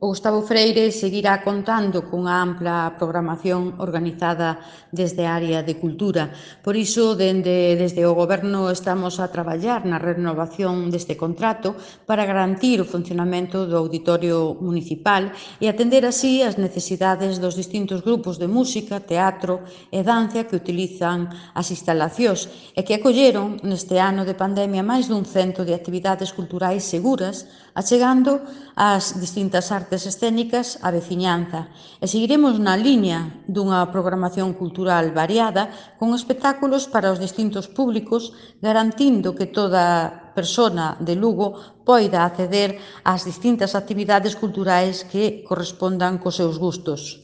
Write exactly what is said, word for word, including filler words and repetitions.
O Gustavo Freire seguirá contando cunha ampla programación organizada desde a área de cultura. Por iso, dende, desde o Goberno estamos a traballar na renovación deste contrato para garantir o funcionamento do Auditorio Municipal e atender así as necesidades dos distintos grupos de música, teatro e danza que utilizan as instalacións e que acolleron neste ano de pandemia máis dun cento de actividades culturais seguras, achegando as distintas artes escénicas á veciñanza. E seguiremos na liña dunha programación cultural variada con espectáculos para os distintos públicos, garantindo que toda persona de Lugo poida acceder ás distintas actividades culturais que correspondan cos seus gustos.